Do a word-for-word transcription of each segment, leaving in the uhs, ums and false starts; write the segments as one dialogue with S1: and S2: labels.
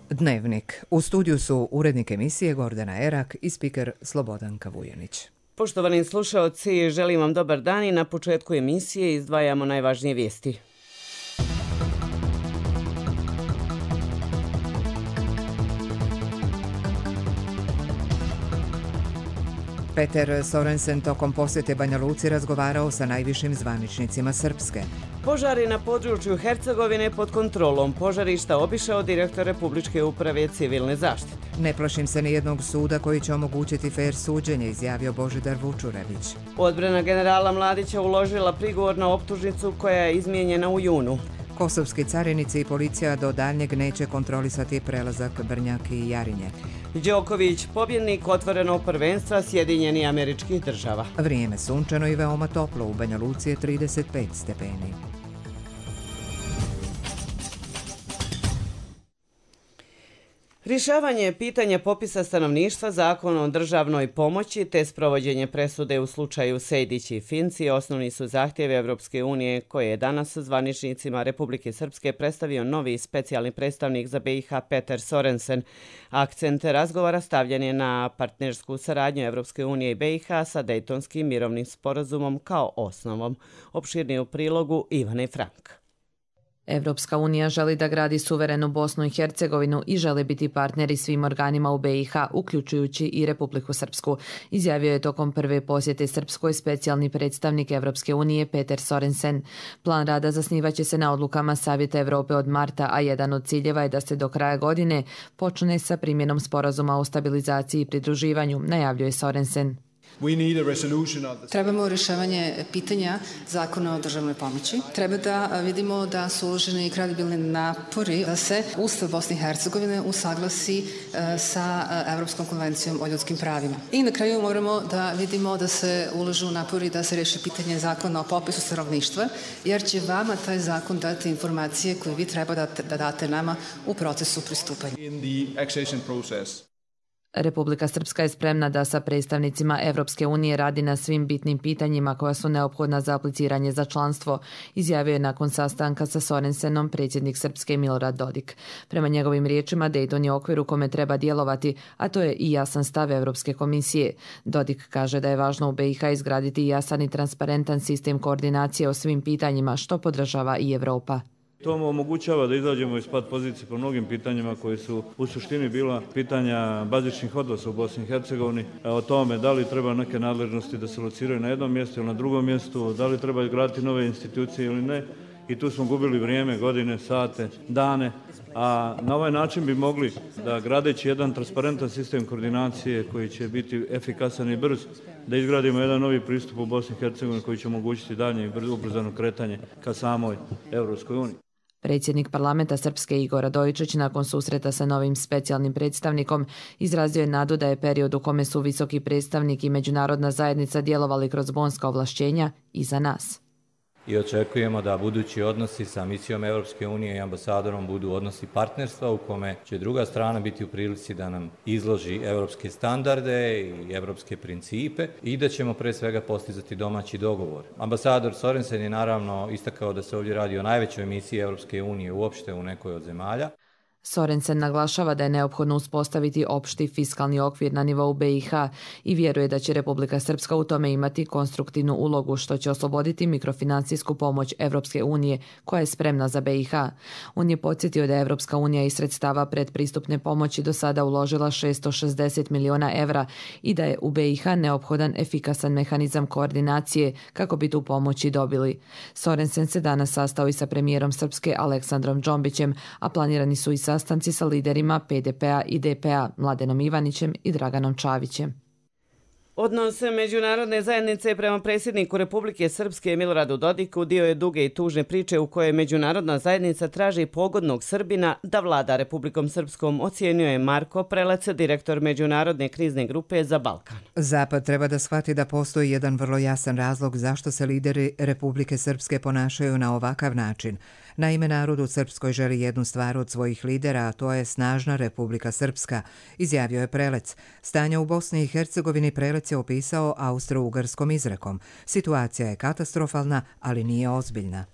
S1: Dnevnik. U studiju su urednik emisije Gordana Erak i spiker Slobodanka Vujanić.
S2: Poštovani slušaoci, želim vam dobar dan i na početku emisije izdvajamo najvažnije vijesti.
S1: Peter Sorensen tokom posjete Banja Luci razgovarao sa najvišim zvaničnicima Srpske.
S2: Požari na području Hercegovine pod kontrolom požarišta obišao direktor Republičke uprave civilne zaštite.
S1: Ne plašim se ni jednog suda koji će omogućiti fer suđenje, izjavio Božidar Vučurević.
S2: Odbrana generala Mladića uložila prigovor na optužnicu koja je izmijenjena u junu.
S1: Kosovski carinici i policija do daljnjeg neće kontrolisati prelazak Brnjak i Jarinje.
S2: Đoković, pobjednik otvorenog prvenstva Sjedinjenih Američkih Država.
S1: Vrijeme sunčano i veoma toplo, u Banja Luci je trideset pet stepeni.
S2: Rješavanje pitanja popisa stanovništva, Zakon o državnoj pomoći te sprovođenje presude u slučaju Sejdić i Finci osnovni su zahtjevi Evropske unije koje je danas zvaničnicima Republike Srpske predstavio novi specijalni predstavnik za B i H Peter Sorensen. Akcent razgovora stavljen je na partnersku saradnju Evropske unije i B i H sa Dejtonskim mirovnim sporazumom kao osnovom. Opširnije u prilogu Ivane Frank.
S3: Evropska unija želi da gradi suverenu Bosnu i Hercegovinu i želi biti partneri svim organima u B i H, uključujući i Republiku Srpsku, izjavio je tokom prve posjete Srpskoj specijalni predstavnik Evropske unije Peter Sorensen. Plan rada zasnivaće se na odlukama Savjeta Evrope od marta, a jedan od ciljeva je da se do kraja godine počne sa primjenom sporazuma o stabilizaciji i pridruživanju, najavljuje Sorensen.
S4: Trebamo rješavanje pitanja Zakona o državnoj pomoći. Treba da vidimo da su uloženi kredibilni napori da se Ustav Bosne i Hercegovine usaglasi sa Evropskom konvencijom o ljudskim pravima. I na kraju moramo da vidimo da se uložu napori da se riješi pitanje Zakona o popisu stanovništva, jer će vama taj zakon dati informacije koje vi treba da, da date nama u procesu pristupanja.
S3: Republika Srpska je spremna da sa predstavnicima Evropske unije radi na svim bitnim pitanjima koja su neophodna za apliciranje za članstvo, izjavio je nakon sastanka sa Sorensenom predsjednik Srpske Milorad Dodik. Prema njegovim riječima, Dejton je okvir u kome treba djelovati, a to je i jasan stav Evropske komisije. Dodik kaže da je važno u B i H izgraditi jasan i transparentan sistem koordinacije o svim pitanjima, što podržava i Evropa.
S5: To omogućava da izađemo iz pat pozicije po mnogim pitanjima koji su u suštini bila pitanja bazičnih odnosa u Bosni i Hercegovini, o tome da li treba neke nadležnosti da se lociraju na jednom mjestu ili na drugom mjestu, da li treba izgraditi nove institucije ili ne. I tu smo gubili vrijeme, godine, sate, dane, a na ovaj način bi mogli da gradeći jedan transparentan sistem koordinacije koji će biti efikasan i brz, da izgradimo jedan novi pristup u Bosni i Hercegovini koji će omogućiti daljnje i ubrzano kretanje ka samoj Evropskoj uniji.
S3: Predsjednik parlamenta Srpske Igor Radojičić nakon susreta sa novim specijalnim predstavnikom izrazio je nadu da je period u kome su visoki predstavnik i međunarodna zajednica djelovali kroz bonska ovlašćenja iza nas.
S6: I očekujemo da budući odnosi sa misijom Evropske unije i ambasadorom budu odnosi partnerstva u kome će druga strana biti u prilici da nam izloži evropske standarde i evropske principe i da ćemo pre svega postizati domaći dogovor. Ambasador Sorensen je naravno istakao da se ovdje radi o najvećoj misiji Evropske unije uopšte u nekoj od zemalja.
S3: Sorensen naglašava da je neophodno uspostaviti opšti fiskalni okvir na nivou B i H i vjeruje da će Republika Srpska u tome imati konstruktivnu ulogu, što će osloboditi mikrofinancijsku pomoć Evropske unije koja je spremna za B i H. On je podsjetio da je Evropska unija iz sredstava predpristupne pomoći do sada uložila šesto šezdeset miliona evra i da je u B i H neophodan efikasan mehanizam koordinacije kako bi tu pomoć i dobili. Sorensen se danas sastao i sa premijerom Srpske Aleksandrom Džombićem, a planirani su i sastanci sa liderima P D P-a i D P-a Mladenom Ivanićem i Draganom Čavićem.
S2: Odnos međunarodne zajednice prema predsjedniku Republike Srpske Miloradu Dodiku dio je duge i tužne priče u kojoj međunarodna zajednica traži pogodnog Srbina da vlada Republikom Srpskom, ocijenio je Marko Prelec, direktor Međunarodne krizne grupe za Balkan.
S1: Zapad treba da shvati da postoji jedan vrlo jasan razlog zašto se lideri Republike Srpske ponašaju na ovakav način. Naime, narod u Srpskoj želi jednu stvar od svojih lidera, a to je snažna Republika Srpska, izjavio je Prelec. Stanje u Bosni i Hercegovini Prelec je opisao austro-ugarskom izrekom. Situacija je katastrofalna, ali nije ozbiljna.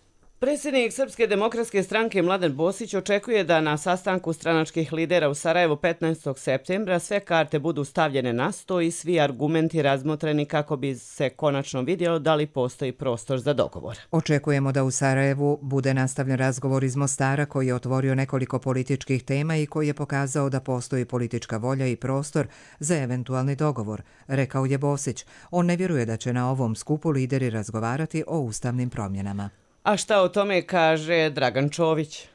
S2: Predsjednik Srpske demokratske stranke Mladen Bosić očekuje da na sastanku stranačkih lidera u Sarajevu petnaestog septembra sve karte budu stavljene na sto i svi argumenti razmotreni kako bi se konačno vidjelo da li postoji prostor za dogovor.
S1: Očekujemo da u Sarajevu bude nastavljen razgovor iz Mostara koji je otvorio nekoliko političkih tema i koji je pokazao da postoji politička volja i prostor za eventualni dogovor, rekao je Bosić. On ne vjeruje da će na ovom skupu lideri razgovarati o ustavnim promjenama.
S2: A šta o tome kaže Dragan Čović?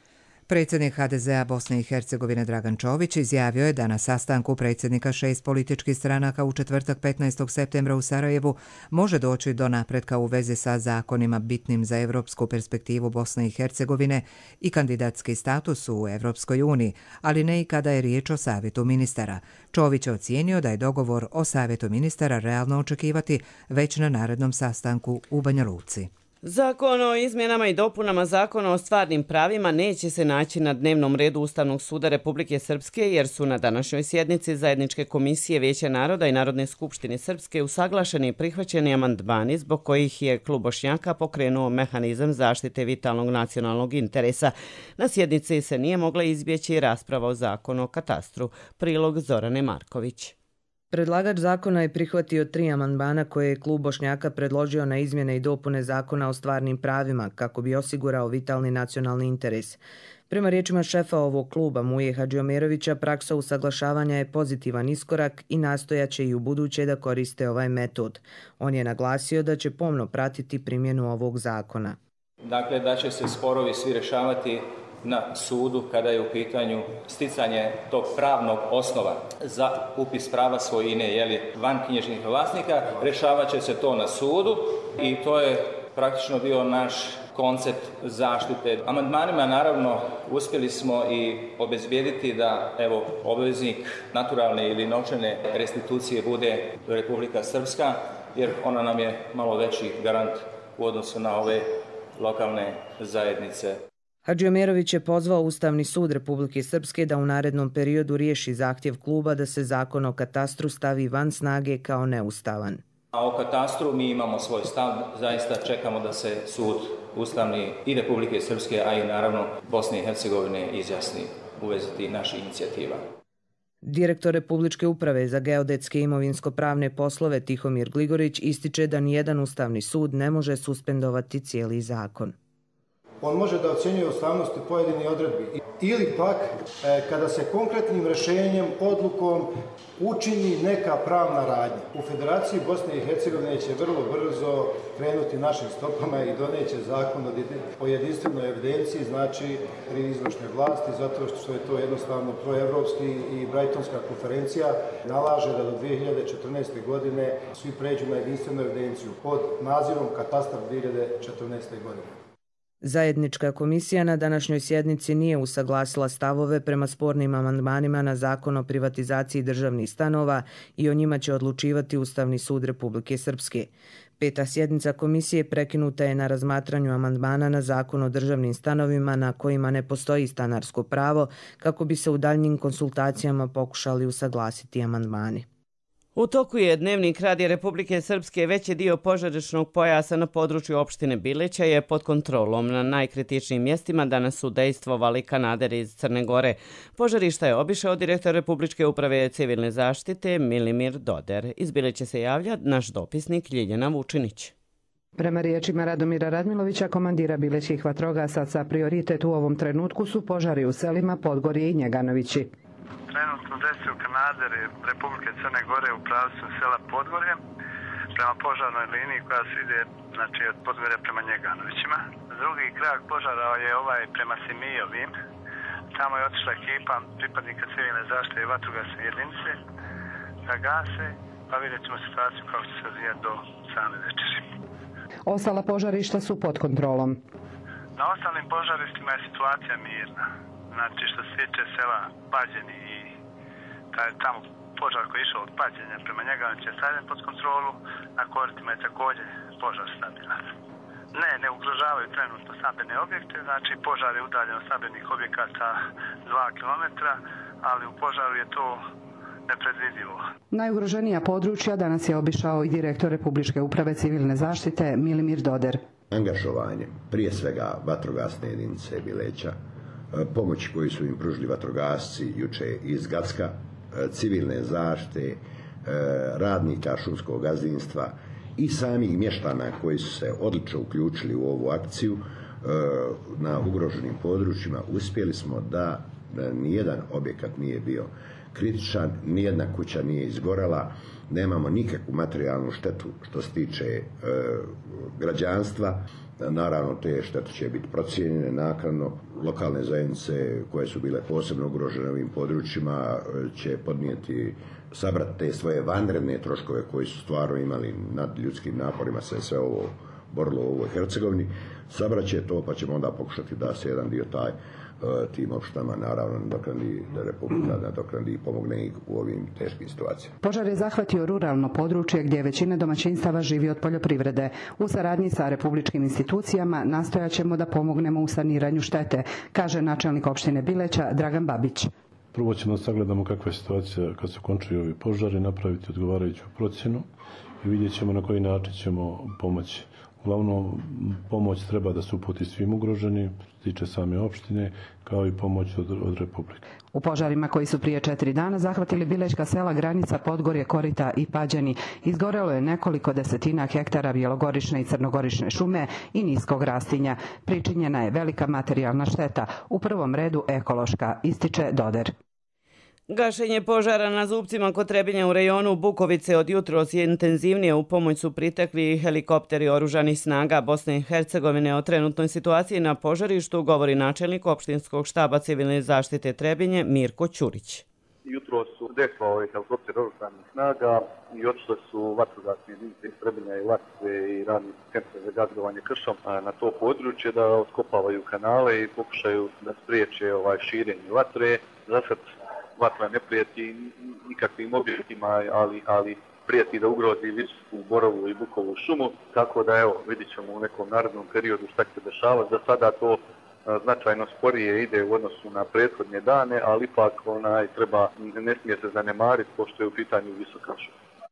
S1: Predsjednik ha de zea Bosne i Hercegovine Dragan Čović izjavio je da na sastanku predsjednika šest političkih stranaka u četvrtak petnaestog septembra u Sarajevu može doći do napretka u vezi sa zakonima bitnim za evropsku perspektivu Bosne i Hercegovine i kandidatski status u Evropskoj uniji, ali ne i kada je riječ o savjetu ministara. Čović je ocijenio da je dogovor o savjetu ministara realno očekivati već na narednom sastanku u Banja Luci.
S2: Zakon o izmjenama i dopunama Zakona o stvarnim pravima neće se naći na dnevnom redu Ustavnog suda Republike Srpske jer su na današnjoj sjednici Zajedničke komisije Vijeća naroda i Narodne skupštine Srpske usaglašeni i prihvaćeni amandmani zbog kojih je Klub Bošnjaka pokrenuo mehanizam zaštite vitalnog nacionalnog interesa. Na sjednici se nije mogla izbjeći rasprava o zakonu o katastru. Prilog Zorane Marković.
S3: Predlagač zakona je prihvatio tri amandmana koje je Klub Bošnjaka predložio na izmjene i dopune Zakona o stvarnim pravima kako bi osigurao vitalni nacionalni interes. Prema riječima šefa ovog kluba Muje Hadžiomerovića, praksa usaglašavanja je pozitivan iskorak i nastojaće i u buduće da koriste ovaj metod. On je naglasio da će pomno pratiti primjenu ovog zakona.
S7: Dakle, da će se sporovi svi rješavati na sudu kada je u pitanju sticanje tog pravnog osnova za upis prava svojine, jeli, van knjižnih vlasnika, rješavat će se to na sudu i to je praktično bio naš koncept zaštite. Amandmanima naravno uspjeli smo i obezbijediti da evo obveznik naturalne ili novčane restitucije bude Republika Srpska, jer ona nam je malo veći garant u odnosu na ove lokalne zajednice.
S3: Hadžiomerović je pozvao Ustavni sud Republike Srpske da u narednom periodu riješi zahtjev kluba da se zakon o katastru stavi van snage kao neustavan.
S7: A o katastru mi imamo svoj stav, zaista čekamo da se sud Ustavni i Republike Srpske, a i naravno Bosne i Hercegovine izjasni u vezi tih naših inicijativa.
S3: Direktor Republičke uprave za geodetske i imovinsko-pravne poslove Tihomir Gligorić ističe da nijedan Ustavni sud ne može suspendovati cijeli zakon.
S8: On može da ocjenjuje ustavnosti pojedinih odredbi ili pak e, kada se konkretnim rješenjem, odlukom učini neka pravna radnja. U Federaciji Bosne i Hercegovine će vrlo brzo krenuti našim stopama i doneće zakon o jedinstvenoj evidenciji, znači pri izvršnoj vlasti, zato što je to jednostavno proevropski i Brightonska konferencija nalaže da do dvije hiljade četrnaeste. godine svi pređu na jedinstvenu evidenciju pod nazivom Katastar dvije hiljade četrnaeste. godine.
S3: Zajednička komisija na današnjoj sjednici nije usaglasila stavove prema spornim amandmanima na zakon o privatizaciji državnih stanova i o njima će odlučivati Ustavni sud Republike Srpske. Peta sjednica komisije prekinuta je na razmatranju amandmana na zakon o državnim stanovima na kojima ne postoji stanarsko pravo kako bi se u daljnjim konsultacijama pokušali usaglasiti amandmani.
S2: U toku je dnevnik Radija Republike Srpske. Veći dio požarišnog pojasa na području opštine Bileća je pod kontrolom. Na najkritičnijim mjestima danas su dejstvovali kanaderi iz Crne Gore. Požarišta je obišao direktor Republičke uprave civilne zaštite Milimir Doder. Iz Bileća se javlja naš dopisnik Ljiljana Vučinić.
S9: Prema riječima Radomira Radmilovića, komandira bilećkih vatrogasaca, prioritet u ovom trenutku su požari u selima Podgorje i Njeganovići.
S10: Trenutno dejstvuju kanaderi Republike Crne Gore u pravcu sela Podgorje prema požarnoj liniji koja se ide, znači, od Podgorja prema Njeganovićima. Drugi krak požara je ovaj prema Simijovim. Tamo je otišla ekipa pripadnika civilne zaštite i vatrogasne jedinice da gase, pa vidjet ćemo situaciju kako će se razvijati do same večeri.
S9: Ostala požarišta su pod kontrolom.
S10: Na ostalim požarištima je situacija mirna. Znači, što se tiče sela Pađeni i taj tamo požar koji je išao od Pađenja prema Njeganoviću je stavljen pod kontrolu, na Koritima je također požar stabilan. Ne, ne ugrožavaju trenutno stambene objekte, znači požar je udaljen od stambenih objekata dva kilometra, ali u požaru je to nepredvidivo.
S9: Najugroženija područja danas je obišao i direktor Republičke uprave civilne zaštite Milimir Doder.
S11: Angažovanjem prije svega vatrogasne jedinice Bileća, pomoći koju su im pružili vatrogasci juče iz Gacka, civilne zaštite, radnika šumskog gazdinstva i samih mještana koji su se odlično uključili u ovu akciju na ugroženim područjima, uspjeli smo da nijedan objekat nije bio kritičan, nijedna kuća nije izgorela, nemamo nikakvu materijalnu štetu što se tiče e, građanstva. Naravno, te štete će biti procijenjene naknadno. Lokalne zajednice koje su bile posebno ugrožene ovim područjima će podnijeti, sabrati te svoje vanredne troškove koji su stvarno imali nad ljudskim naporima se sve ovo borilo u ovoj Hercegovini. Sabrat će to, pa ćemo onda pokušati da se jedan dio taj tim opštinama naravno nadoknadi, da Republika nadoknadi i pomogne ih u ovim teškim situacijama.
S9: Požar je zahvatio ruralno područje gdje većina domaćinstava živi od poljoprivrede. U saradnji sa republičkim institucijama nastojat ćemo da pomognemo u saniranju štete, kaže načelnik opštine Bileća Dragan Babić.
S12: Prvo ćemo sagledamo kakva je situacija kad se končuju ovi požari, napraviti odgovarajuću procjenu i vidjet ćemo na koji način ćemo pomoći. Uglavnom, pomoć treba da se uputi svim ugroženim, tiče same opštine, kao i pomoć od, od Republike.
S9: U požarima koji su prije četiri dana zahvatili bilećka sela, Granica, Podgorje, Korita i Pađani, izgorelo je nekoliko desetina hektara bjelogorične i crnogorične šume i niskog rastinja. Pričinjena je velika materijalna šteta, u prvom redu ekološka, ističe Doder.
S2: Gašenje požara na Zupcima kod Trebinja u rejonu Bukovice od jutros je intenzivnije. U pomoć su pritekli helikopteri oružanih snaga Bosne i Hercegovine. O trenutnoj situaciji na požarištu govori načelnik opštinskog štaba civilne zaštite Trebinje Mirko Ćurić.
S13: Jutro su deslao helikopter oružanih snaga i otišle su vatrogasne jedinice iz Trebinja i Latvije i radni centar za gazdovanje kršom na to područje da oskopavaju kanale i pokušaju da spriječe ovaj širenje vatre. Zasad vatra ne prijeti nikakvim objektima, ali, ali prijeti da ugrozi Vičsku, Borovu i Bukovu šumu, tako da evo vidit ćemo u nekom narednom periodu šta će se dešavati. Za sada to a, značajno sporije ide u odnosu na prethodne dane, ali ipak onaj, treba, ne smije se zanemariti pošto je u pitanju visoka šuma.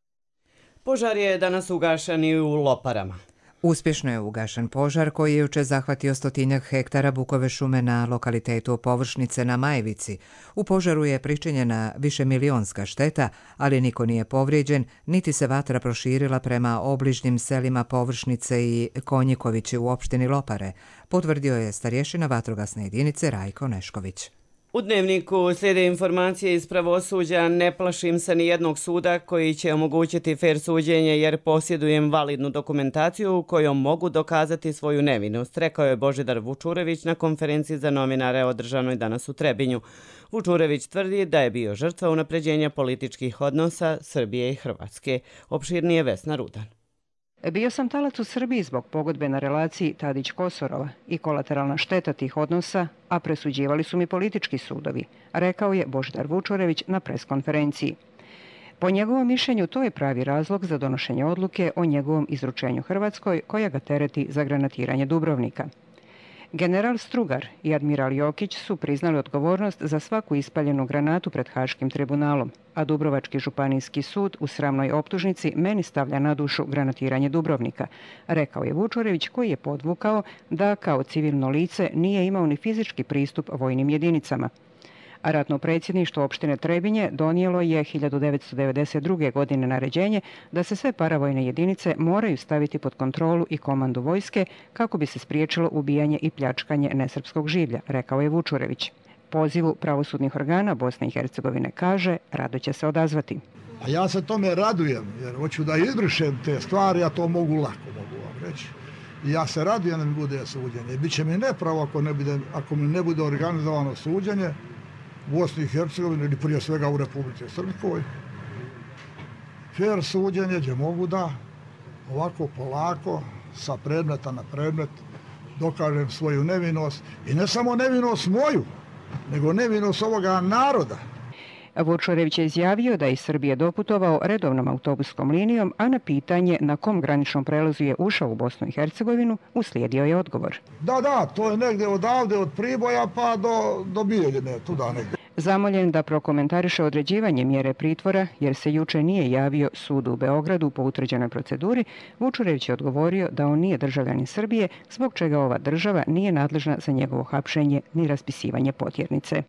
S2: Požar je danas ugašen i u Loparama.
S1: Uspješno je ugašen požar koji je juče zahvatio stotinjak hektara bukove šume na lokalitetu Površnice na Majevici. U požaru je pričinjena višemilionska šteta, ali niko nije povrijeđen, niti se vatra proširila prema obližnjim selima Površnice i Konjikovići u opštini Lopare, potvrdio je starješina vatrogasne jedinice Rajko Nešković.
S2: U Dnevniku slijede informacije iz pravosuđa. Ne plašim se ni jednog suda koji će omogućiti fer suđenje jer posjedujem validnu dokumentaciju kojom mogu dokazati svoju nevinost, rekao je Božidar Vučurević na konferenciji za novinare održanoj danas u Trebinju. Vučurević tvrdi da je bio žrtva unapređenja političkih odnosa Srbije i Hrvatske. Opširnije Vesna Rudan.
S14: Bio sam talac u Srbiji zbog pogodbe na relaciji Tadić-Kosorova i kolateralna šteta tih odnosa, a presuđivali su mi politički sudovi, rekao je Božidar Vučurević na preskonferenciji. Po njegovom mišljenju to je pravi razlog za donošenje odluke o njegovom izručenju Hrvatskoj koja ga tereti za granatiranje Dubrovnika. General Strugar i admiral Jokić su priznali odgovornost za svaku ispaljenu granatu pred Haškim tribunalom, a Dubrovački županijski sud u sramnoj optužnici meni stavlja na dušu granatiranje Dubrovnika, rekao je Vučurević koji je podvukao da kao civilno lice nije imao ni fizički pristup vojnim jedinicama. A ratno predsjedništvo opštine Trebinje donijelo je hiljadu devetsto devedeset druge. godine naređenje da se sve paravojne jedinice moraju staviti pod kontrolu i komandu vojske kako bi se spriječilo ubijanje i pljačkanje nesrpskog življa, rekao je Vučurević. Pozivu pravosudnih organa Bosne i Hercegovine kaže rado će se odazvati.
S15: A ja se tome radujem jer hoću da izbrišem te stvari, a to mogu lako, mogu vam reći. I ja se radujem da mi bude suđenje. Biće mi nepravo ako, ne bude, ako mi ne bude organizovano suđenje u Bosni i Hercegovini ili prije svega u Republici Srpskoj. Fer suđenje gdje mogu da ovako polako sa predmeta na predmet dokažem svoju nevinost i ne samo nevinost moju, nego nevinost ovoga naroda.
S14: Vučurević je izjavio da je iz Srbije doputovao redovnom autobuskom linijom, a na pitanje na kom graničnom prelazu je ušao u Bosnu i Hercegovinu uslijedio je odgovor.
S15: Da, da, to je negdje odavde od Priboja pa do, do Bijeljine, tuda negdje.
S14: Zamoljen da prokomentariše određivanje mjere pritvora jer se juče nije javio sudu u Beogradu po utvrđenoj proceduri, Vučurević je odgovorio da on nije državljanin Srbije, zbog čega ova država nije nadležna za njegovo hapšenje ni raspisivanje potjernice.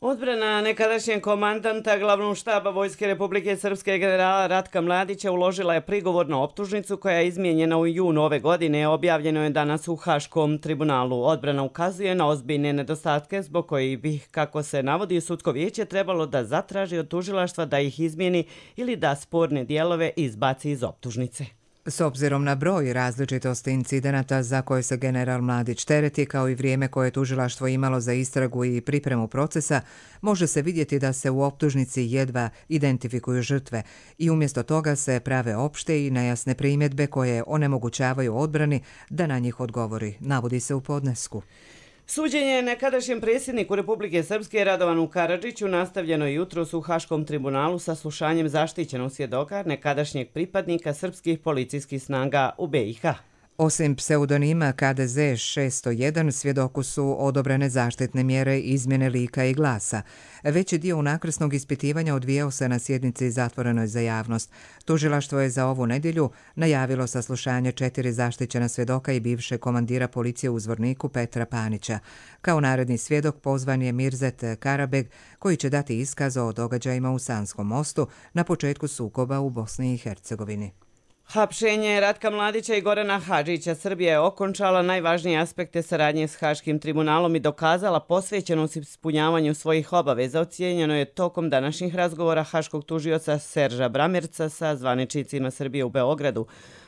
S2: Odbrana nekadašnjeg komandanta glavnog štaba Vojske Republike Srpske generala Ratka Mladića uložila je prigovor na optužnicu koja je izmijenjena u junu ove godine, objavljeno je danas u Haškom tribunalu. Odbrana ukazuje na ozbiljne nedostatke zbog kojih bi, kako se navodi sudsko vijeće, trebalo da zatraži od tužilaštva da ih izmijeni ili da sporne dijelove izbaci iz optužnice.
S1: S obzirom na broj različitosti incidenata za koje se general Mladić tereti, kao i vrijeme koje je tužilaštvo imalo za istragu i pripremu procesa, može se vidjeti da se u optužnici jedva identifikuju žrtve i umjesto toga se prave opšte i nejasne primjedbe koje onemogućavaju odbrani da na njih odgovori, navodi se u podnesku.
S2: Suđenje nekadašnjem predsjedniku Republike Srpske Radovanu Karadžiću nastavljeno je jutros u Haškom tribunalu sa slušanjem zaštićenog svjedoka nekadašnjeg pripadnika srpskih policijskih snaga u B i H.
S1: Osim pseudonima K D Z šesto jedan, svjedoku su odobrene zaštitne mjere izmjene lika i glasa. Veći dio unakrsnog ispitivanja odvijao se na sjednici zatvorenoj za javnost. Tužilaštvo je za ovu nedjelju najavilo saslušanje četiri zaštićena svjedoka i bivše komandira policije u Zvorniku Petra Panića. Kao naredni svjedok pozvan je Mirzet Karabeg, koji će dati iskaz o događajima u Sanskom mostu na početku sukoba u Bosni i Hercegovini.
S2: Hapšenje Ratka Mladića i Gorana Hadžića Srbija je okončala najvažnije aspekte saradnje s Haškim tribunalom i dokazala posvećenost ispunjavanju svojih obaveza, ocijenjeno je tokom današnjih razgovora haškog tužioca Serža Bramerca sa zvaničnicima Srbije u Beogradu.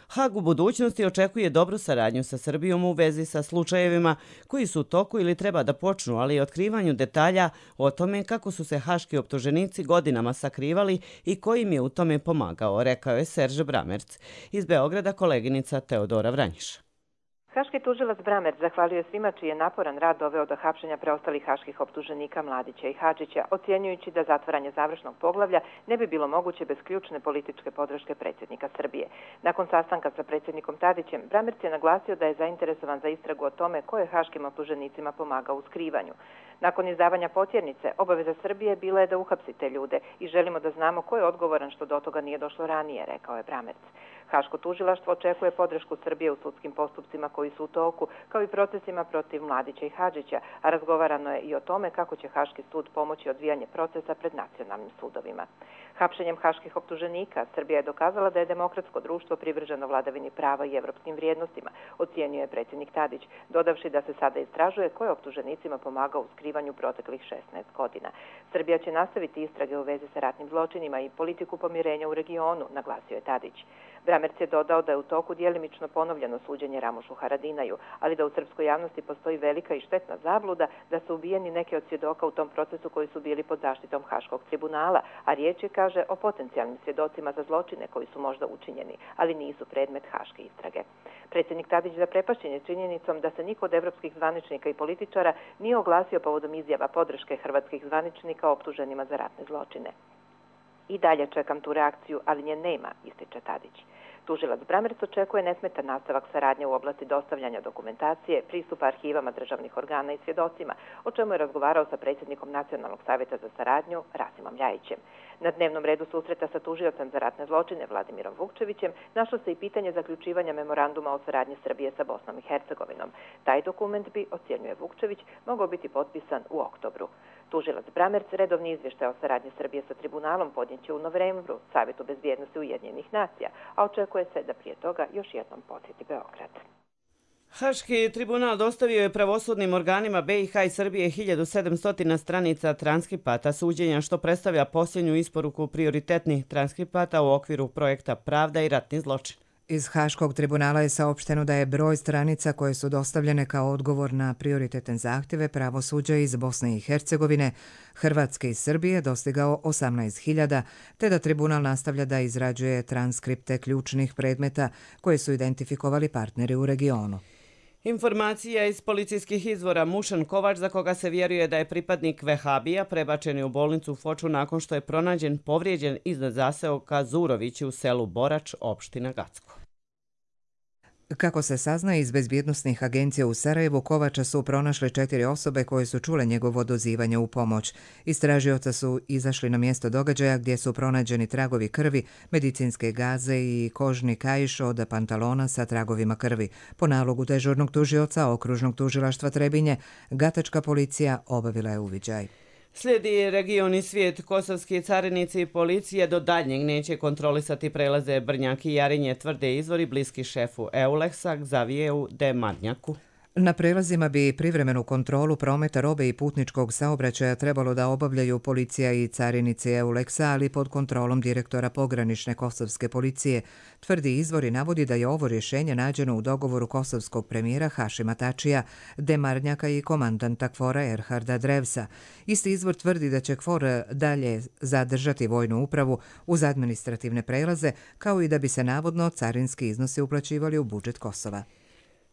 S2: Hag u budućnosti očekuje dobru saradnju sa Srbijom u vezi sa slučajevima koji su u toku ili treba da počnu, ali i otkrivanju detalja o tome kako su se haški optuženici godinama sakrivali i ko im je u tome pomagao, rekao je Serž Bramerc. Iz Beograda koleginica Teodora Vranjiša.
S16: Haški tužilac Bramerc zahvalio je svima čiji je naporan rad doveo do hapšenja preostalih haških optuženika Mladića i Hadžića, ocjenjujući da zatvaranje završnog poglavlja ne bi bilo moguće bez ključne političke podrške predsjednika Srbije. Nakon sastanka sa predsjednikom Tadićem, Bramerc je naglasio da je zainteresovan za istragu o tome ko je haškim optuženicima pomagao u skrivanju. Nakon izdavanja potjernice, obaveza Srbije bila je da uhapsi te ljude i želimo da znamo ko je odgovoran što do toga nije došlo ranije, rekao je Bramerc. Haško tužilaštvo očekuje podršku Srbije u sudskim postupcima koji su u toku, kao i procesima protiv Mladića i Hadžića, a razgovarano je i o tome kako će Haški sud pomoći odvijanje procesa pred nacionalnim sudovima. Hapšenjem haških optuženika, Srbija je dokazala da je demokratsko društvo privrženo vladavini prava i evropskim vrijednostima, ocjenjuje predsjednik Tadić, dodavši da se sada istražuje ko je optuženicima pomagao u skrivanju proteklih šesnaest godina. Srbija će nastaviti istrage u vezi sa ratnim zločinima i politiku pomirenja u regionu, naglasio je Tadić. Bramerc je dodao da je u toku djelimično ponovljeno suđenje Ramušu Haradinaju, ali da u srpskoj javnosti postoji velika i štetna zabluda da su ubijeni neki od svjedoka u tom procesu koji su bili pod zaštitom Haškog tribunala, a riječ je, kaže, o potencijalnim svjedocima za zločine koji su možda učinjeni, ali nisu predmet haške istrage. Predsjednik Tadić zaprepašćen je činjenicom da se niko od evropskih zvaničnika i političara nije oglasio povodom izjava podrške hrvatskih zvaničnika optuženima za ratne zločine. I dalje čekam tu reakciju, ali nje nema, ističe Tadić. Tužilac Bramerc očekuje nesmetan nastavak saradnje u oblasti dostavljanja dokumentacije, pristupa arhivama državnih organa i svjedocima, o čemu je razgovarao sa predsjednikom Nacionalnog savjeta za saradnju Rasimom Ljajićem. Na dnevnom redu susreta sa tužiocem za ratne zločine Vladimirom Vukčevićem našlo se i pitanje zaključivanja memoranduma o saradnji Srbije sa Bosnom i Hercegovinom. Taj dokument bi, ocjenjuje Vukčević, mogao biti potpisan u oktobru. Tužilac Bramerc redovni izvještaj o saradnji Srbije sa tribunalom podnijeće u novembru Savjetu bezbjednosti Ujedinjenih nacija, a očekuje se da prije toga još jednom posjeti Beograd.
S2: Haški tribunal dostavio je pravosudnim organima B i H i Srbije hiljadu sedamsto stranica transkripata suđenja, što predstavlja posljednju isporuku prioritetnih transkripata u okviru projekta Pravda i ratni zločin.
S1: Iz Haškog tribunala je saopšteno da je broj stranica koje su dostavljene kao odgovor na prioritetne zahtjeve pravosuđa iz Bosne i Hercegovine, Hrvatske i Srbije dostigao osamnaest hiljada, te da tribunal nastavlja da izrađuje transkripte ključnih predmeta koje su identifikovali partneri u regionu.
S2: Informacija iz policijskih izvora: Mušan Kovač, za koga se vjeruje da je pripadnik Vehabija, prebačen je u bolnicu u Foču nakon što je pronađen povrijeđen iznad zaseoka Zurovići u selu Borač, opština Gacko.
S1: Kako se saznaje iz bezbjednosnih agencija u Sarajevu, Kovača su pronašle četiri osobe koje su čule njegovo dozivanje u pomoć. Istražioca su izašli na mjesto događaja gdje su pronađeni tragovi krvi, medicinske gaze i kožni kaiš od pantalona sa tragovima krvi. Po nalogu dežurnog tužioca Okružnog tužilaštva Trebinje, gatačka policija obavila je uviđaj.
S2: Slijedi region i svijet. Kosovski carinici i policije do daljnjeg neće kontrolisati prelaze Brnjak i Jarinje, tvrde izvori bliski šefu Euleksa Xavieru de Marnjaku.
S1: Na prelazima bi privremenu kontrolu prometa robe i putničkog saobraćaja trebalo da obavljaju policija i carinici Euleksa, ali pod kontrolom direktora pogranične kosovske policije. Tvrdi izvor i navodi da je ovo rješenje nađeno u dogovoru kosovskog premijera Hašima Tačija, Demarnjaka i komandanta Kfora Erharda Drevsa. Isti izvor tvrdi da će Kfor dalje zadržati vojnu upravu uz administrativne prelaze, kao i da bi se navodno carinski iznosi uplaćivali u budžet Kosova.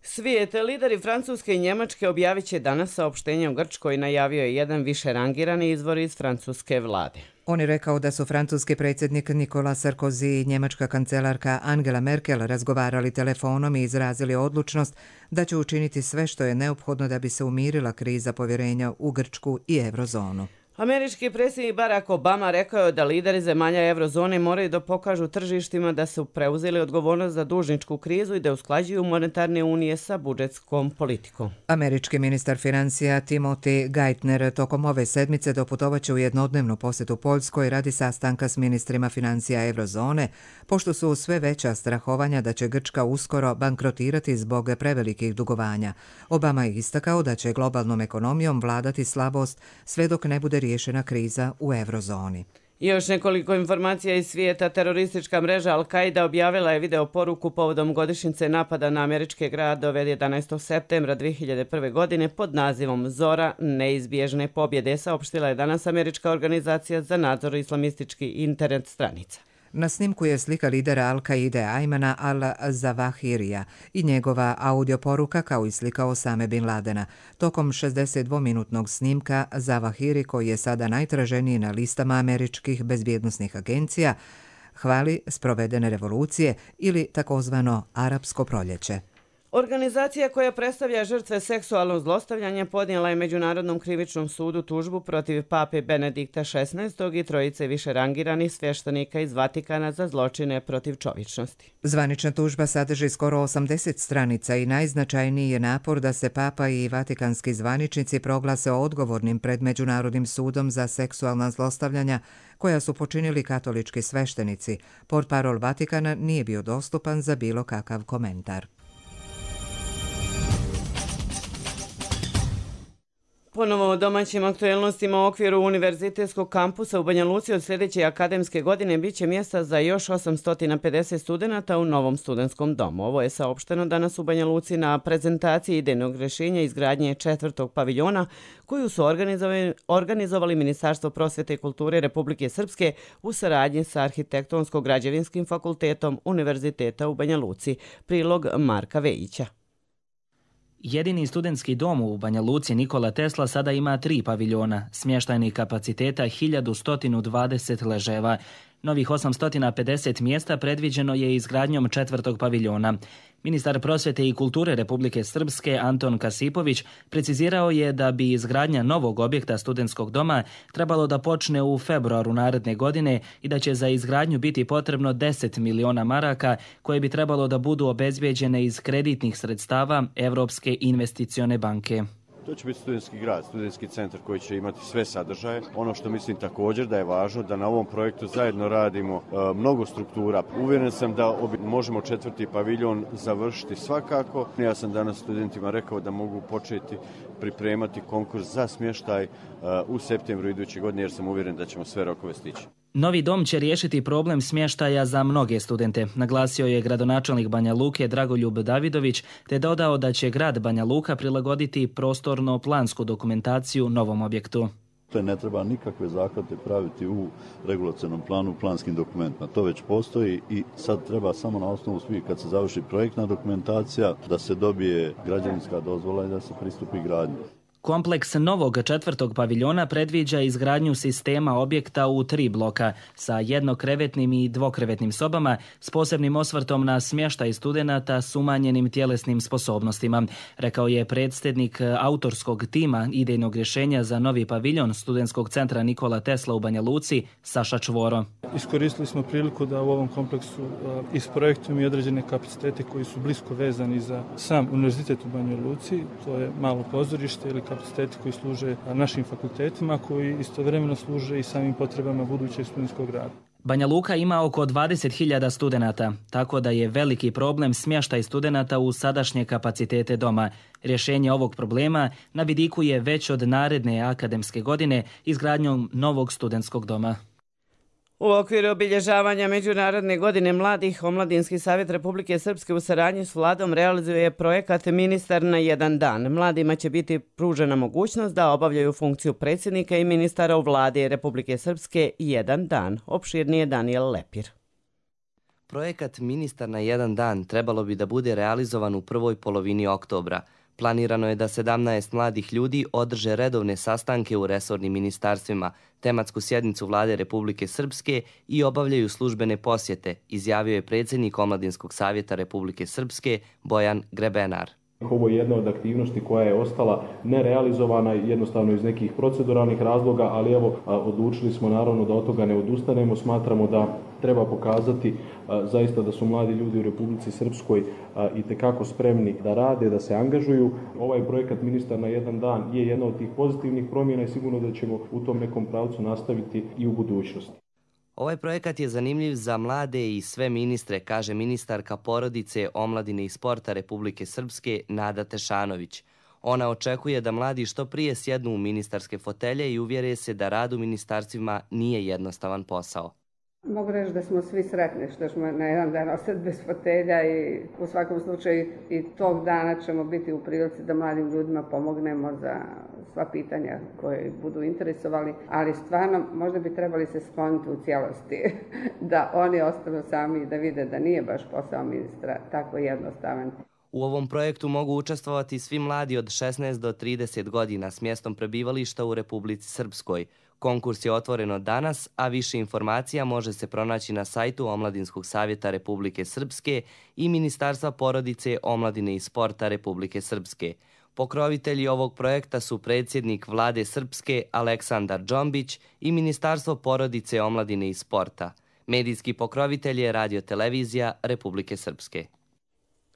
S2: Svijet, lideri Francuske i Njemačke objavit će danas saopštenje u Grčkoj, najavio je jedan više rangirani izvor iz francuske vlade.
S1: On je rekao da su francuski predsjednik Nicolas Sarkozy i njemačka kancelarka Angela Merkel razgovarali telefonom i izrazili odlučnost da će učiniti sve što je neophodno da bi se umirila kriza povjerenja u Grčku i eurozonu.
S2: Američki predsjednik Barack Obama rekao je da lideri zemalja eurozone moraju da pokažu tržištima da su preuzeli odgovornost za dužničku krizu i da usklađuju monetarne unije sa budžetskom politikom.
S1: Američki ministar financija Timothy Geithner tokom ove sedmice doputovaće u jednodnevnu posjetu Poljskoj radi sastanka s ministrima financija eurozone, pošto su sve veća strahovanja da će Grčka uskoro bankrotirati zbog prevelikih dugovanja. Obama je istakao da će globalnom ekonomijom vladati slabost sve dok ne bude riješena kriza u eurozoni.
S2: I još nekoliko informacija iz svijeta. Teroristička mreža Al-Qaida objavila je video poruku povodom godišnjice napada na američke gradove jedanaestog septembra dvije hiljade prve. godine pod nazivom Zora neizbježne pobjede, saopštila je danas američka organizacija za nadzor islamističkih internet stranica.
S1: Na snimku je slika lidera Al-Qaide Ajmana al-Zawahirija i njegova audio poruka kao i slika Osame Bin Ladena. Tokom šezdesetdvominutnog snimka Zawahiri, koji je sada najtraženiji na listama američkih bezbjednosnih agencija, hvali sprovedene revolucije ili takozvano arapsko proljeće.
S2: Organizacija koja predstavlja žrtve seksualnog zlostavljanja podnijela je Međunarodnom krivičnom sudu tužbu protiv pape Benedikta šesnaestog. i trojice više rangiranih svještenika iz Vatikana za zločine protiv čovječnosti.
S1: Zvanična tužba sadrži skoro osamdeset stranica i najznačajniji je napor da se papa i vatikanski zvaničnici proglase odgovornim pred Međunarodnim sudom za seksualna zlostavljanja koja su počinili katolički sveštenici. Portparol Vatikana nije bio dostupan za bilo kakav komentar.
S2: Ponovo o domaćim aktuelnostima u okviru univerzitetskog kampusa u Banja Luci od sljedeće akademske godine bit će mjesta za još osamsto pedeset studenata u novom studentskom domu. Ovo je saopšteno danas u Banja Luci na prezentaciji idejnog rješenja izgradnje četvrtog paviljona koju su organizovali, organizovali Ministarstvo prosvjete i kulture Republike Srpske u saradnji sa Arhitektonsko-građevinskim fakultetom Univerziteta u Banja Luci. Prilog Marka Vejića.
S17: Jedini studentski dom u Banja Luci Nikola Tesla sada ima tri paviljona, smještajnih kapaciteta hiljadu sto dvadeset leževa. Novih osamsto pedeset mjesta predviđeno je izgradnjom četvrtog paviljona. Ministar prosvjete i kulture Republike Srpske Anton Kasipović precizirao je da bi izgradnja novog objekta studentskog doma trebalo da počne u februaru naredne godine i da će za izgradnju biti potrebno deset miliona maraka koje bi trebalo da budu obezbijeđene iz kreditnih sredstava Evropske investicione banke.
S18: To će biti studentski grad, studentski centar koji će imati sve sadržaje. Ono što mislim također da je važno da na ovom projektu zajedno radimo e, mnogo struktura. Uvjeren sam da obi, možemo četvrti paviljon završiti svakako. Ja sam danas studentima rekao da mogu početi pripremati konkurs za smještaj e, u septembru iduće godine jer sam uvjeren da ćemo sve rokove stići.
S17: Novi dom će riješiti problem smještaja za mnoge studente, naglasio je gradonačelnik Banja Luke Dragoljub Davidović, te dodao da će grad Banja Luka prilagoditi prostorno-plansku dokumentaciju novom objektu.
S19: Ne treba nikakve zahvate praviti u regulacionom planu, planskim dokumentima. To već postoji i sad treba samo na osnovu svih, kad se završi projektna dokumentacija, da se dobije građevinska dozvola i da se pristupi gradnji.
S17: Kompleks novog četvrtog paviljona predviđa izgradnju sistema objekta u tri bloka sa jednokrevetnim i dvokrevetnim sobama s posebnim osvrtom na smještaj studenata s umanjenim tjelesnim sposobnostima, rekao je predsjednik autorskog tima idejnog rješenja za novi paviljon Studentskog centra Nikola Tesla u Banja Luci, Saša Čvoro.
S20: Iskoristili smo priliku da u ovom kompleksu isprojektujemo i određene kapacitete koji su blisko vezani za sam univerzitet u Banja Luci, to je malo pozorište ili kapaciteti koji služe našim fakultetima, koji istovremeno služe i samim potrebama budućeg studentskog rada.
S17: Banja Luka ima oko dvadeset hiljada studenata, tako da je veliki problem smještaj studenata u sadašnje kapacitete doma. Rješenje ovog problema na vidiku je već od naredne akademske godine izgradnjom novog studentskog doma.
S2: U okviru obilježavanja Međunarodne godine mladih, Omladinski savjet Republike Srpske u saradnji s vladom realizuje projekat Ministar na jedan dan. Mladima će biti pružena mogućnost da obavljaju funkciju predsjednika i ministara u vladi Republike Srpske jedan dan. Opširnije Daniel Lepir.
S21: Projekat Ministar na jedan dan trebalo bi da bude realizovan u prvoj polovini oktobra. Planirano je da sedamnaest mladih ljudi održe redovne sastanke u resornim ministarstvima, tematsku sjednicu vlade Republike Srpske i obavljaju službene posjete, izjavio je predsjednik Omladinskog savjeta Republike Srpske Bojan Grebenar.
S22: Ovo je jedna od aktivnosti koja je ostala nerealizovana jednostavno iz nekih proceduralnih razloga, ali evo odlučili smo naravno da od toga ne odustanemo. Smatramo da treba pokazati zaista da su mladi ljudi u Republici Srpskoj itekako spremni da rade, da se angažuju. Ovaj projekat Ministar na jedan dan je jedna od tih pozitivnih promjena i sigurno da ćemo u tom nekom pravcu nastaviti i u budućnosti.
S21: Ovaj projekat je zanimljiv za mlade i sve ministre, kaže ministarka porodice, omladine i sporta Republike Srpske Nada Tešanović. Ona očekuje da mladi što prije sjednu u ministarske fotelje i uvjere se da rad u ministarstvima nije jednostavan posao.
S23: Mogu reći da smo svi sretni što smo na jedan dan ostati bez fotelja i u svakom slučaju i tog dana ćemo biti u prilici da mladim ljudima pomognemo za sva pitanja koje budu interesovali, ali stvarno možda bi trebali se skloniti u cijelosti da oni ostanu sami i da vide da nije baš posao ministra tako jednostavan.
S21: U ovom projektu mogu učestvovati svi mladi od šesnaest do trideset godina s mjestom prebivališta u Republici Srpskoj. Konkurs je otvoren od danas, a više informacija može se pronaći na sajtu Omladinskog savjeta Republike Srpske i Ministarstva porodice, omladine i sporta Republike Srpske. Pokrovitelji ovog projekta su predsjednik vlade Srpske Aleksandar Džombić i Ministarstvo porodice, omladine i sporta. Medijski pokrovitelj je Radio-televizija Republike Srpske.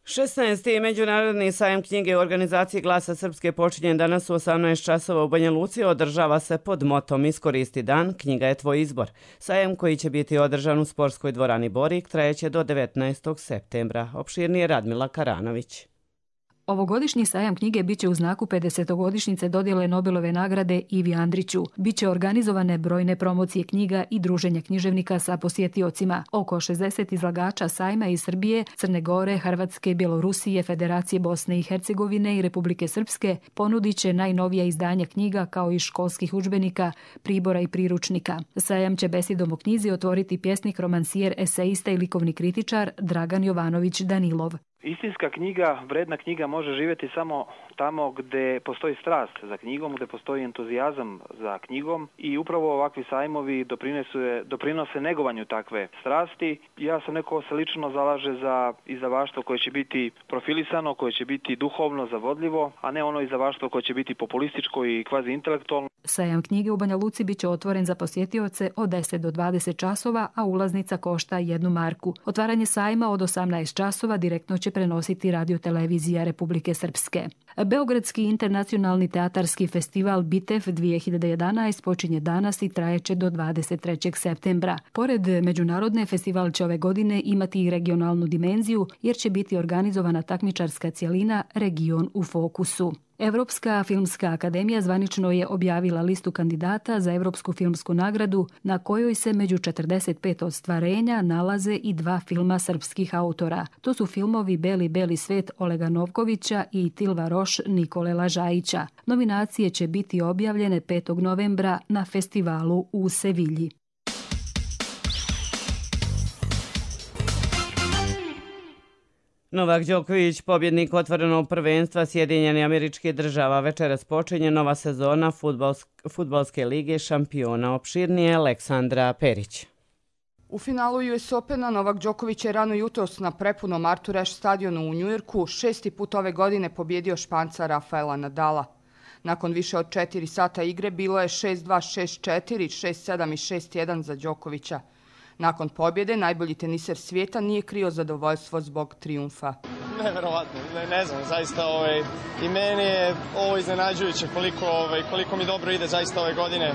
S2: šesnaesti. Međunarodni sajam knjige u organizaciji Glasa Srpske počinje danas u osamnaest časova u Banja Luci. Održava se pod motom Iskoristi dan, knjiga je tvoj izbor. Sajam koji će biti održan u sportskoj dvorani Borik trajeće do devetnaestog septembra. Opširnije Radmila Karanović.
S24: Ovogodišnji sajam knjige biće u znaku pedesetogodišnjice dodjele Nobelove nagrade Ivi Andriću. Biće organizovane brojne promocije knjiga i druženja književnika sa posjetiocima. Oko šezdeset izlagača sajma iz Srbije, Crne Gore, Hrvatske, Bjelorusije, Federacije Bosne i Hercegovine i Republike Srpske ponudit će najnovija izdanja knjiga kao i školskih udžbenika, pribora i priručnika. Sajam će besedom o knjizi otvoriti pjesnik, romansijer, esejista i likovni kritičar Dragan Jovanović Danilov.
S25: Istinska knjiga, vredna knjiga može živjeti samo tamo gdje postoji strast za knjigom, gdje postoji entuzijazam za knjigom i upravo ovakvi sajmovi doprinose, doprinose negovanju takve strasti. Ja sam neko se lično zalaže za izdavaštvo koje će biti profilisano, koje će biti duhovno zavodljivo, a ne ono izdavaštvo koje će biti populističko i kvazi intelektualno.
S24: Sajam knjige u Banja Luci biće otvoren za posjetioce od deset do dvadeset časova, a ulaznica košta jednu marku. Otvaranje sajma od osamnaest časova direktno će prenositi Radio-televizija Republike Srpske. Beogradski internacionalni teatarski festival Bitev dvije hiljade jedanaest počinje danas i trajeće do dvadeset trećeg septembra. Pored međunarodne, festival će ove godine imati i regionalnu dimenziju jer će biti organizovana takmičarska cjelina Region u fokusu. Europska filmska akademija zvanično je objavila listu kandidata za Europsku filmsku nagradu na kojoj se među četrdeset pet ostvarenja nalaze i dva filma srpskih autora. To su filmovi Beli beli svet Olega Novkovića i Tilva Roš Nikole Lažajića. Nominacije će biti objavljene petog novembra na festivalu u Sevilji.
S2: Novak Đoković, pobjednik otvorenog prvenstva Sjedinjenih Američkih Država. Večeras počinje nova sezona fudbalske lige šampiona. Opširnije Aleksandra Perić.
S4: U finalu U S Opena Novak Đoković je rano jutros na prepunom Arthur Ashe stadionu u Njujorku šesti put ove godine pobjedio Španca Rafaela Nadala. Nakon više od četiri sata igre bilo je šest dva, šest četiri, šest sedam i šest jedan za Đokovića. Nakon pobjede najbolji teniser svijeta nije krio zadovoljstvo zbog trijumfa.
S5: Neverovatno, ne, ne znam, zaista ovaj, i meni je ovo iznenađujuće koliko, ovaj, koliko mi dobro ide zaista ove godine.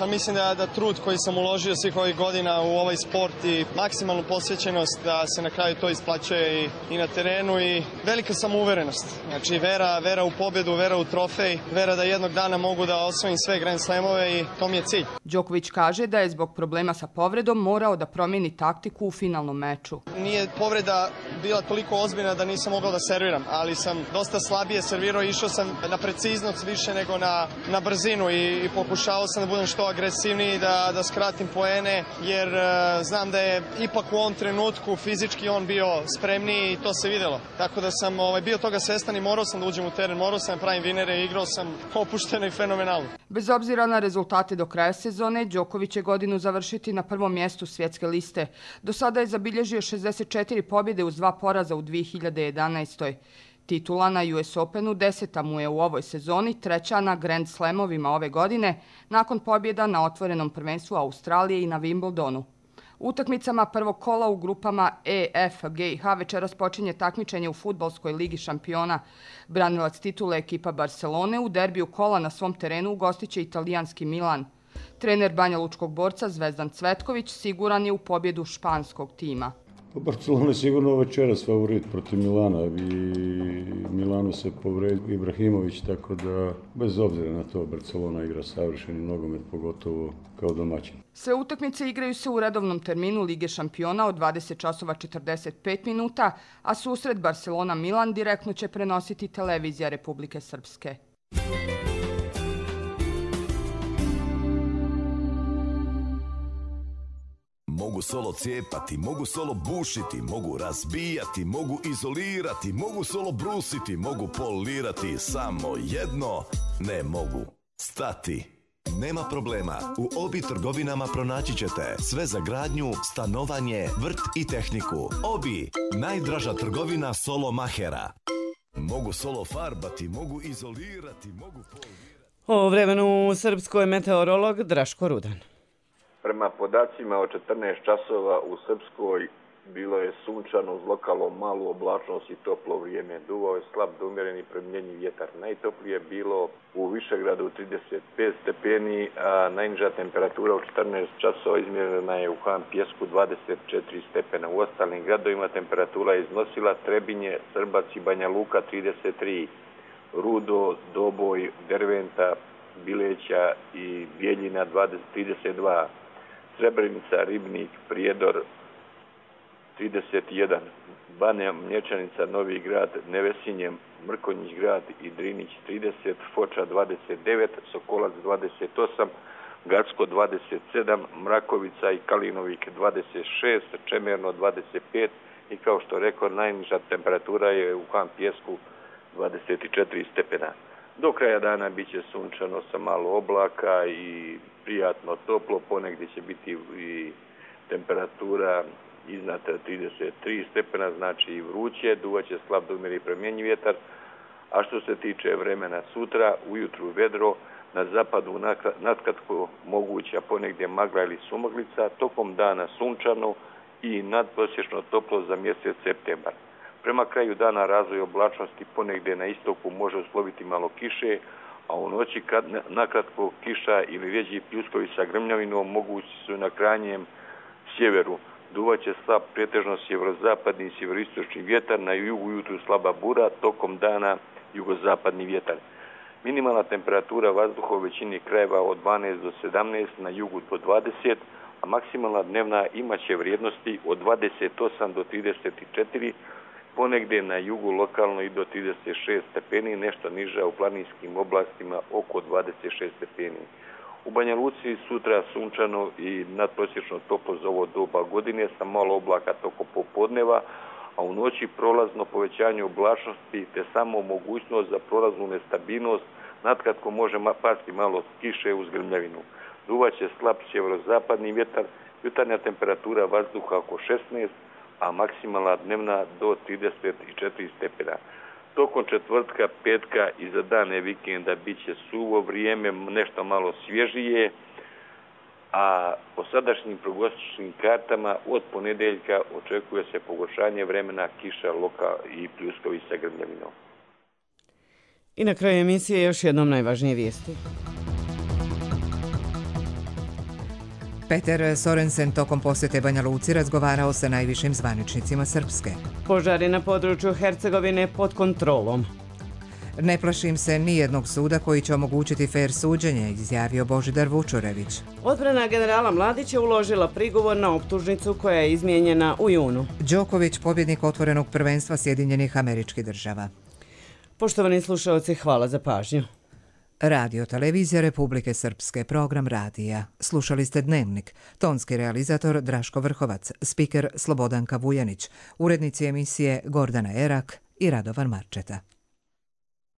S5: A mislim da, da trud koji sam uložio svih ovih godina u ovaj sport i maksimalnu posvećenost da se na kraju to isplaćuje i, i na terenu i velika samouverenost. Znači vera, vera u pobjedu, vera u trofej, vera da jednog dana mogu da osvojim sve Grand Slamove i to mi je cilj.
S4: Đoković kaže da je zbog problema sa povredom morao da promijeni taktiku u finalnom meču.
S5: Nije povreda bila toliko ozbiljna da nisam mogao da serviram, ali sam dosta slabije servirao i išao sam na preciznost više nego na, na brzinu i, i pokušavao sam da budem što agresivniji, da, da skratim poene, jer uh, znam da je ipak u ovom trenutku fizički on bio spremniji i to se vidjelo. Tako da sam ovaj, bio toga svestan i morao sam da uđem u teren, morao sam da pravim vinere i igrao sam opušteno i fenomenalno.
S4: Bez obzira na rezultate do kraja sezone, Đoković će godinu završiti na prvom mjestu svjetske liste. Do sada je zabilježio šezdeset četiri pobjede uz dva poraza u dvije hiljade jedanaestoj. Titula na U S Openu deseta mu je u ovoj sezoni, treća na Grand Slamovima ove godine, nakon pobjeda na otvorenom prvenstvu Australije i na Wimbledonu. Utakmicama prvog kola u grupama E, F, G i H večeras počinje takmičenje u fudbalskoj ligi šampiona. Branilac titule ekipa Barcelone u derbiju kola na svom terenu ugostiće italijanski Milan. Trener banjalučkog borca Zvezdan Cvetković siguran je u pobjedu španskog tima.
S12: Barcelona je sigurno večeras favorit protiv Milana i Milanu se povredio Ibrahimović, tako da bez obzira na to Barcelona igra savršeni nogomet, pogotovo kao domaćin.
S4: Sve utakmice igraju se u redovnom terminu Lige šampiona od dvadeset časova četrdeset pet minuta, a susret Barcelona-Milan direktno će prenositi televizija Republike Srpske.
S6: Mogu solo cijepati, mogu solo bušiti, mogu razbijati, mogu izolirati, mogu solo brusiti, mogu polirati, samo jedno ne mogu stati. Nema problema, u Obi trgovinama pronaći ćete sve za gradnju, stanovanje, vrt i tehniku. Obi, najdraža trgovina solo mahera. Mogu solo farbati, mogu izolirati, mogu polirati.
S2: O vremenu u Srpskoj meteorolog Draško Rudan.
S7: Prema podacima od četrnaest časova u Srpskoj bilo je sunčano uz lokalno malu oblačnost i toplo vrijeme. Duvao je slab do umjereni promjenjiv vjetar. Najtoplije je bilo u Višegradu trideset pet stepeni, a najniža temperatura u četrnaest časova izmjerena je u Han Pjesku dvadeset četiri stepena. U ostalim gradovima temperatura je iznosila Trebinje, Srbac i Banja Luka trideset tri, Rudo, Doboj, Derventa, Bileća i Bijeljina trideset dva, Srebrenica, Ribnik, Prijedor trideset jedan, Banja Mlječanica, Novi Grad, Nevesinje, Mrkonjić Grad i Drinić trideset, Foča dvadeset devet, Sokolac dvadeset osam, Gacko dvadeset sedam, Mrakovica i Kalinovik dvadeset šest, Čemerno dvadeset pet i kao što rekao najniža temperatura je u Han Pjesku dvadeset četiri stepena. Do kraja dana bit će sunčano sa malo oblaka i prijatno toplo, ponegdje će biti i temperatura iznad trideset tri stepena, znači i vruće, duvaće slab do umjeri promjenjiv vjetar, a što se tiče vremena sutra, ujutru vedro, na zapadu natkratko moguća ponegdje magla ili sumaglica, tokom dana sunčano i nadprosječno toplo za mjesec septembar. Prema kraju dana razvoj oblačnosti ponegdje na istoku može usloviti malo kiše, a u noći kad nakratko kiša ili rjeđi pljuskovi sa grmljavinom mogući su na krajnjem sjeveru. Duvaće slab pretežno sjeverozapadni i sjeveristočni vjetar, na jugu ujutru slaba bura, tokom dana jugozapadni vjetar. Minimalna temperatura vazduha u većini krajeva od dvanaest do sedamnaest, na jugu do dvadeset, a maksimalna dnevna imaće vrijednosti od dvadeset osam do trideset četiri, ponegdje na jugu lokalno i do trideset šest stepeni, nešto niža u planinskim oblastima oko dvadeset šest stepeni. U Banja Luci sutra sunčano i nadprosječno toplo za ovo doba godine sa malo oblaka toko popodneva, a u noći prolazno povećanje oblačnosti te samo mogućnost za prolaznu nestabilnost, natkratko može pasti malo kiše uz grmljavinu. Duvaće slab sjeverozapadni vjetar, jutarnja temperatura vazduha oko šesnaest, a maksimalna dnevna do trideset četiri stepena. Tokom četvrtka, petka i za dane vikenda bit će suvo vrijeme, nešto malo svježije, a po sadašnjim prognostičnim kartama od ponedeljka očekuje se pogoršanje vremena, kiša, loka i pljuskovi sa grmljavinom.
S2: I na kraju emisije još jednom najvažnije vijesti.
S1: Peter Sorensen tokom posjete Banja Luci razgovarao sa najvišim zvaničnicima Srpske.
S2: Požari na području Hercegovine pod kontrolom.
S1: Ne plašim se nijednog suda koji će omogućiti fer suđenje, izjavio Božidar Vučurević.
S2: Odbrana generala Mladića uložila prigovor na optužnicu koja je izmijenjena u junu.
S1: Đoković, pobjednik otvorenog prvenstva Sjedinjenih Američkih Država.
S2: Poštovani slušalci, hvala za pažnju.
S1: Radio Televizija Republike Srpske, program radija. Slušali ste Dnevnik. Tonski realizator Draško Vrhovac, spiker Slobodanka Vujanić, urednici emisije Gordana Erak i Radovan Marčeta.